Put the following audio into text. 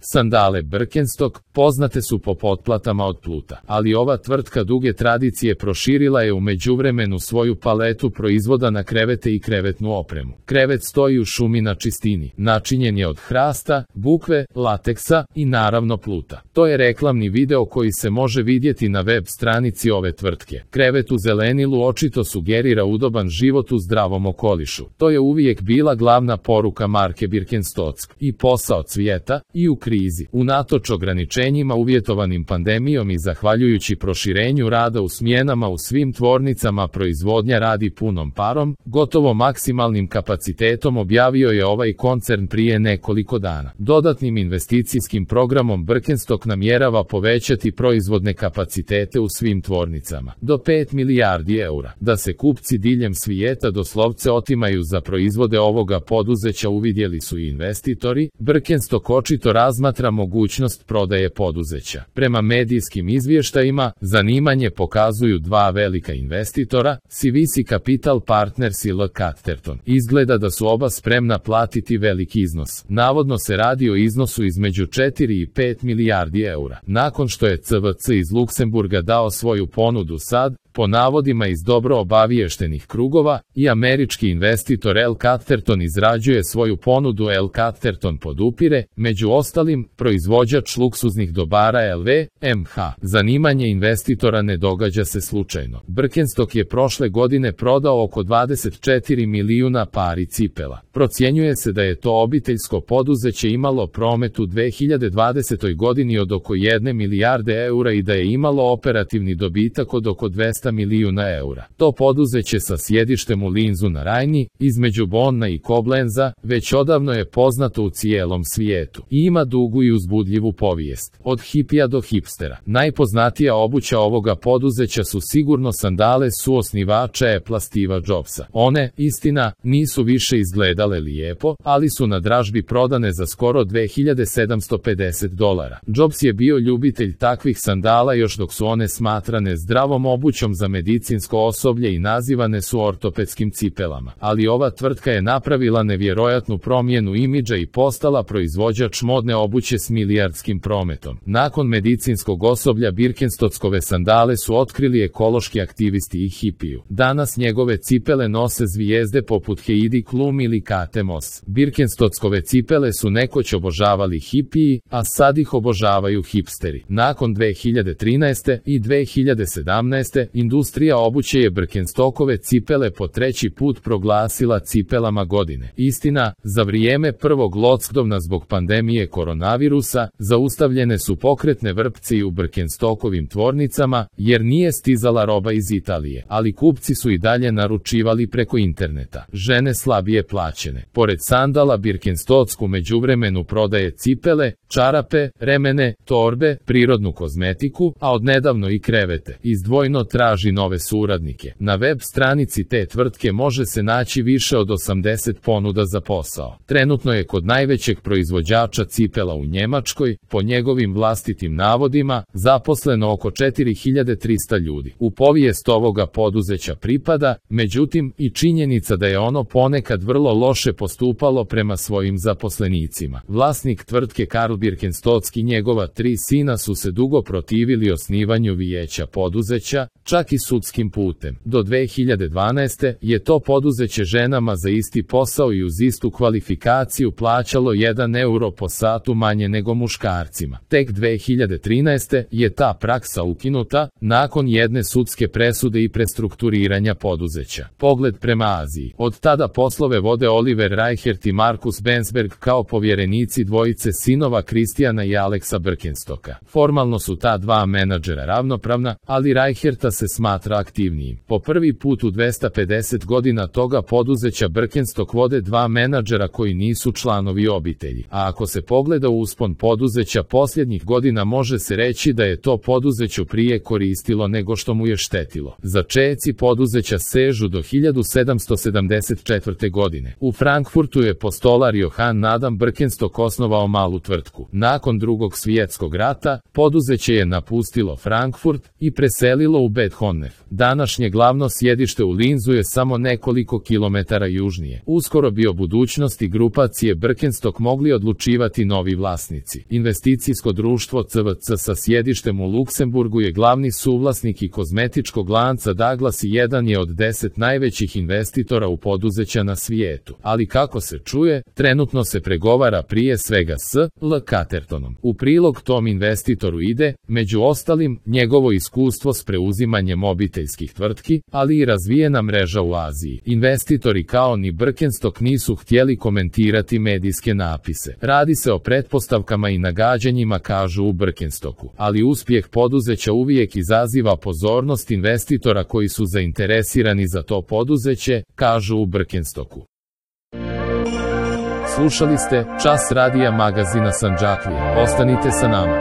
Sandale Birkenstock poznate su po potplatama od pluta, ali ova tvrtka duge tradicije proširila je u međuvremenu svoju paletu proizvoda na krevete i krevetnu opremu. Krevet stoji u šumi na čistini, načinjen je od hrasta, bukve, lateksa i naravno pluta. To je reklamni video koji se može vidjeti na web stranici ove tvrtke. Krevet u zelenilu očito sugerira udoban život u zdravom okolišu. To je uvijek bila glavna poruka marke Birkenstock. I posao cvijeta, i u krizi. Unatoč ograničenjima uvjetovanim pandemijom i zahvaljujući proširenju rada u smjenama u svim tvornicama proizvodnja radi punom parom, gotovo maksimalnim kapacitetom objavio je ovaj koncern prije nekoliko dana. Dodatnim investicijskim programom Birkenstock namjerava povećati proizvodne kapacitete u svim tvornicama do 5 milijardi eura. Da se kupci diljem svijeta doslovce otimaju za proizvode ovoga poduzeća uvidjeli su i investitori. Birkenstock očito razmatra mogućnost prodaje poduzeća. Prema medijskim izvještajima, zanimanje pokazuju dva velika investitora, CVC Capital Partners i L. Catterton. Izgleda da su oba spremna platiti veliki iznos. Navodno se radi o iznosu između 4 i 5 milijardi eura. Nakon što je CVC iz Luksemburga dao svoju ponudu sad, po navodima iz dobro obaviještenih krugova, i američki investitor L. Catterton izrađuje svoju ponudu. L. Catterton podupire, među ostalim, proizvođač luksuznih dobara LV, MH. Zanimanje investitora ne događa se slučajno. Birkenstock je prošle godine prodao oko 24 milijuna pari cipela. Procjenjuje se da je to obiteljsko poduzeće imalo promet u 2020. godini od oko 1 milijarde eura i da je imalo operativni dobitak od oko 200 milijuna eura. To poduzeće sa sjedištem u Linzu na Rajni, između Bonna i Koblenza, već odavno je poznato u cijelom svijetu i ima dugu i uzbudljivu povijest. Od hipija do hipstera. Najpoznatija obuća ovoga poduzeća su sigurno sandale suosnivača Apple Steva Jobsa. One, istina, nisu više izgledale lijepo, ali su na dražbi prodane za skoro $2750. Jobs je bio ljubitelj takvih sandala još dok su one smatrane zdravom obućom za medicinsko osoblje i nazivane su ortopedskim cipelama. Ali ova tvrtka je napravila nevjerojatnu promjenu imidža i postala proizvođač modne obuće s milijardskim prometom. Nakon medicinskog osoblja Birkenstockove sandale su otkrili ekološki aktivisti i hipiju. Danas njegove cipele nose zvijezde poput Heidi Klum ili Kate Moss. Birkenstockove cipele su nekoć obožavali hipiji, a sad ih obožavaju hipsteri. Nakon 2013. i 2017. industrija obuće je Birkenstockove cipele po treći put proglasila cipelama godine. Istina, za vrijeme prvog lockdowna zbog pandemije koronavirusa, zaustavljene su pokretne vrpce i u Birkenstockovim tvornicama, jer nije stizala roba iz Italije, ali kupci su i dalje naručivali preko interneta. Žene slabije plaćene. Pored sandala Birkenstock u međuvremenu prodaje cipele, čarape, remene, torbe, prirodnu kozmetiku, a odnedavno i krevete. Izdvojno traži nove suradnike. Na web stranici te tvrtke može se naći više od 80 ponuda za posao. Trenutno je kod najvećeg proizvođača cipela u Njemačkoj, po njegovim vlastitim navodima, zaposleno oko 4300 ljudi. U povijest ovoga poduzeća pripada, međutim, i činjenica da je ono ponekad vrlo loše postupalo prema svojim zaposlenicima. Vlasnik tvrtke Karl Birkenstock i njegova 3 sina su se dugo protivili osnivanju vijeća poduzeća, čak i sudskim putem. Do 2012. je to poduzeće ženama za isti posao i uz istu kvalifikaciju plaćalo 1 euro po satu manje nego muškarcima. Tek 2013. je ta praksa ukinuta, nakon jedne sudske presude i prestrukturiranja poduzeća. Pogled prema Aziji. Od tada poslove vode Oliver Reichert i Markus Bensberg kao povjerenici dvojice sinova Kristijana i Aleksa Birkenstocka. Formalno su ta dva menadžera ravnopravna, ali Reicherta se smatra aktivnijim. Po prvi put u 250 godina toga poduzeća Birkenstock vode dva menadžera koji nisu članovi obitelji. A ako se pogleda uspon poduzeća posljednjih godina može se reći da je to poduzeću prije koristilo nego što mu je štetilo. Začeci poduzeća sežu do 1774. godine. U Frankfurtu je postolar Johann Adam Birkenstock osnovao malu tvrtku. Birkenstocku. Nakon Drugog svjetskog rata, poduzeće je napustilo Frankfurt i preselilo u Bad Honnef. Današnje glavno sjedište u Linzu je samo nekoliko kilometara južnije. Uskoro bi o budućnosti grupacije Birkenstock mogli odlučivati novi vlasnici. Investicijsko društvo CVC sa sjedištem u Luksemburgu je glavni suvlasnik i kozmetičkog lanca Douglas i jedan je od 10 najvećih investitora u poduzeća na svijetu. Ali kako se čuje, trenutno se pregovara prije svega s L. Cattertonom. U prilog tom investitoru ide, među ostalim, njegovo iskustvo s preuzimanjem obiteljskih tvrtki, ali i razvijena mreža u Aziji. Investitori kao ni Birkenstock nisu htjeli komentirati medijske napise. Radi se o pretpostavkama i nagađanjima, kažu u Birkenstocku, ali uspjeh poduzeća uvijek izaziva pozornost investitora koji su zainteresirani za to poduzeće, kažu u Birkenstocku. Slušali ste Čas radija magazina Sandžaklije. Ostanite sa nama.